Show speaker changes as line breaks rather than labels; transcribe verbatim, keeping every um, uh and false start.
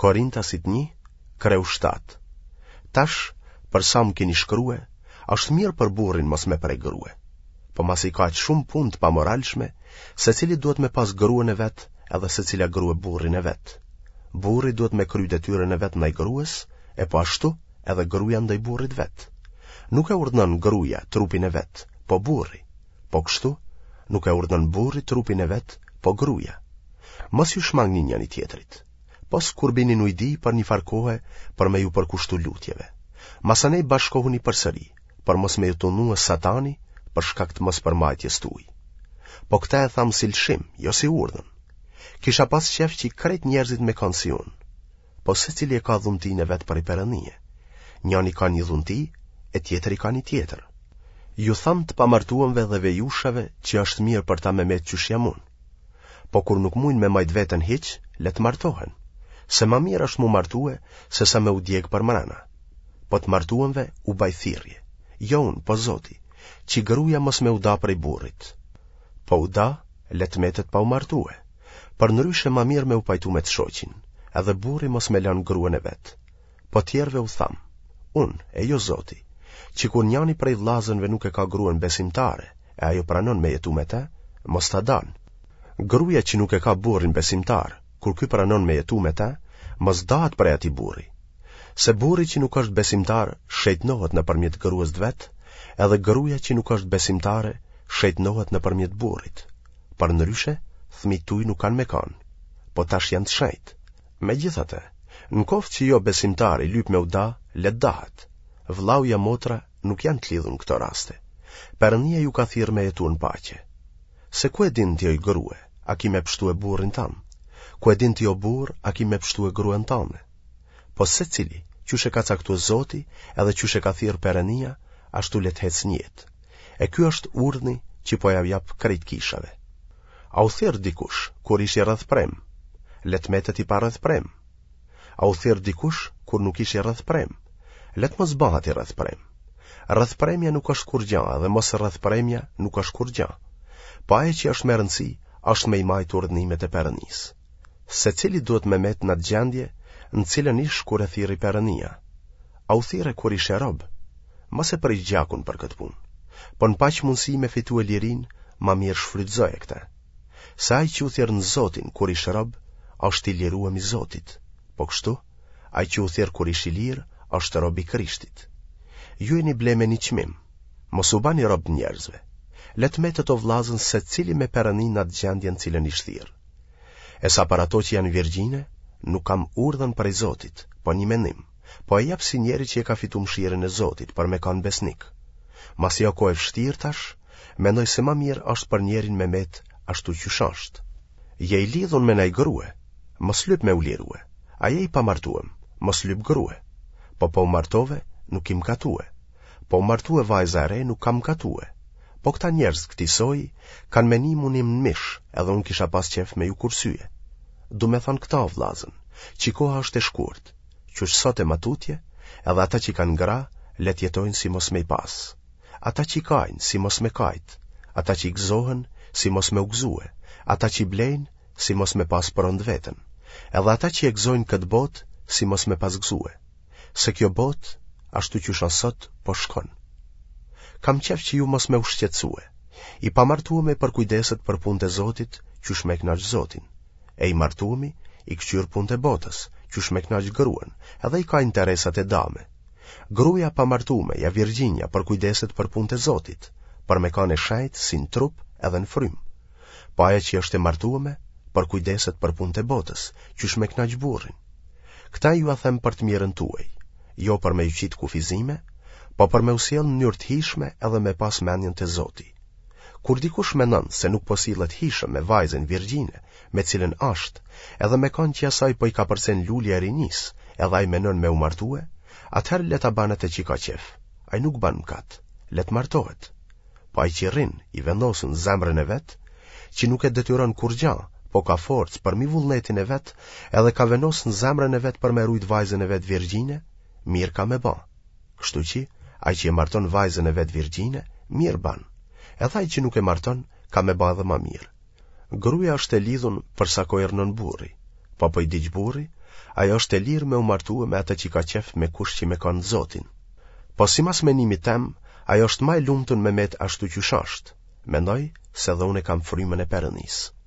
Korintasit një, kreu shtatë. Tash, për sa më keni shkrue, është mirë për burrin mos me prek grue. Po masi ka aq shumë punë të pamoralshme, secili duhet me pas gruen e vet edhe secila grue burrin e vet. Burri duhet me kry detyrën e vet ndaj grues, e po ashtu edhe gruaja ndaj burrit vet. Nuk e urdhënon gruaja trupin e vet, po burri. Po kështu, nuk e urdhënon burri trupin e vet, po gruaja. Mos ju shmangni njëri tjetrit. Pos kur bini n'ujdi për një farë kohe për me ju përkushtu lutjeve. Masanej bashkohuni përsëri, për mos me ju tundue satani për shkak të mospërmbajtjes tuaj. Po këtë e tham si lëshim, jo si urdhën. Kisha pas qef që krejt njerëzit me kanë si unë. Po secili e ka dhuntinë e vet prej Perëndie. Njani ka një dhunti, e tjetri ka një tjetër. Ju tham të pamartuemve dhe vejushave që është mirë për ta me met qysh jam unë. Po kur nuk mujnë me majt veten hiç, le të martohen. Se ma mirë është mu martue, se sa me u djeg përmrena. Po të martuemve u baj thirrje. Jo unë, po Zoti, që gruja mos me u da prej burrit. Po u da, le të metet pa u martue. Përndryshe ma mirë me u pajtu me të shoqin, edhe burri mos me lanë gruen e vet. Po tjerëve u tham, unë, e jo Zoti, që kur njani prej vllazënve nuk e ka gruen besimtare, e ajo pranon me jetu me te, mos ta dan. Gruaja që nuk e ka burrin besimtar, kur ky pranon me jetu me te, mos dahet prej atij burri. Se burri që nuk është besimtar, shejtnohet nëpërmjet gruas të vet, edhe gruaja që nuk është besimtare, shejtnohet nëpërmjet burrit. Përndryshe, fëmijët tuaj nuk kanë me kanë, po tash janë të shenjtë. Megjithatë, në koftë që jo besimtari lyp me u da, le të dahet. Vllau ja motra nuk janë të lidhur në këto raste. Perëndia ju ka thirrë me jetu në paqe. Se ku e din ti oj grue, a ki me pshtue burrin tand? Ku e din ti o burr, a ki me pshtue gruen tande? Po secili, qysh e ka caktue Zoti, edhe qysh e ka thirrë Perëndia, ashtu le të ecë në jetë. E ky është urdhni që po ja jap krejt kishave. A u thirr dikush kur ish i rrethprem? Le të metet i parrethprem. A u thirr dikush kur nuk ish i rrethprem? Le të mos bëhet i rrethprem. Rrethpremja nuk është kurrgjë dhe mos rrethpremja nuk është kurrgjë. Po ajo që është me rëndësi është me i majtë urdhnimet e Perëndisë. Secili duhet me met në atë gjendje në cilën ish kur e thirri Perëndia. A u thirre kur ishe rob? Mos e prish gjakun për këtë punë. Po në paç mundësi me fitue lirinë, ma mirë shfrytëzoje këtë. Se ai që u thirr në Zotin kur ish rob, është i liruem i Zotit. Po kështu, ai që u thirr kur ish i lirë, është rob i Krishtit. Ju jeni ble me një çmim. Mos u bani rob njerëzve. Le të metet o vllazën secili me Perëndinë në atë gjendje në cilën ish thirr. E sa për ato që janë virgjine, nuk kam urdhën prej Zotit, po një mendim, po e jap si njeri që e ka fitu mëshirën e Zotit për me kanë besnik. Masi o kohë e vështirë tash, mendoj se ma mirë është për njerin me met ashtu qysh është. Je i lidhun me naj grue, mos lyp me u lirue. A je i pamartuem, mos lyp grue. Po po u martove, nuk ki mkatue. Po u martue vajza e re, nuk ka mkatue. Po këta njerëz këtij soji kanë me nimun im në mish, edhe unë kisha pas qef me ju kursye. Du me thonë këta, vllazën, që koha është e shkurt, qysh sot e matutje, edhe ata që kanë gra, le të jetojnë si mos me i pas. Ata që kajnë, si mos me kajt, ata që i gëzohen, si mos me u gëzue, ata që blejnë, si mos me pas pronë të vetën, edhe ata që e gëzojnë këtë botë, si mos me pas gëzue. Se kjo botë, ashtu qysh asht sot, po shkon. Kam qef që ju mos me u shqetësue. I pamartuemi përkujdeset për punët e Zotit, qysh me kënaq Zotin. E i martuemi i këqyr punët e botës, qysh me kënaq gruen, edhe i ka interesat e dame. Gruaja pamartume, ja virgjinja, përkujdeset për punët e Zotit, për me kanë e shejt si në trup edhe në frymë. Po ajo që është e martueme, përkujdeset për punët e botës, qysh me kënaq burrin. Këta ju a them për të mirën tuaj, jo për me ju qitë kufizime, po për me u sjell në mënyrë të hijshme edhe me pas mendjen te Zoti. Kur dikush mendon se nuk po sillet hijshëm me vajzën virgjine, me cilën është, edhe me kanë që asaj po i kapërcen lulja e rinisë, edhe ai menon me u martue, atëherë le ta ban atë që ka qef. Ai nuk ban mëkat, le të martohet. Po ai që rrin i vendosun në zemrën e vet, që nuk e detyron kurrgjë, po ka forcë përmi vullnetin e vet, edhe ka vendos në zemrën e vet për me rujt vajzën e vet virgjine, mirë ka me ba. Kështu që, ai që e marton vajzën e vet virgjine, mirë ban. Edhe ai që nuk e marton, ka me ba edhe ma mirë. Gruaja është e lidhun për sa kohë rrnon burri, po po i diq burri, ajo është e lirë me u martue me atë qi ka qef me kusht qi me kanë n'Zotin. Po simas menimit tem, ajo është ma e lumtun me metë ashtu qysh është, mendoj se edhe unë e kam Frymën e Perënisë.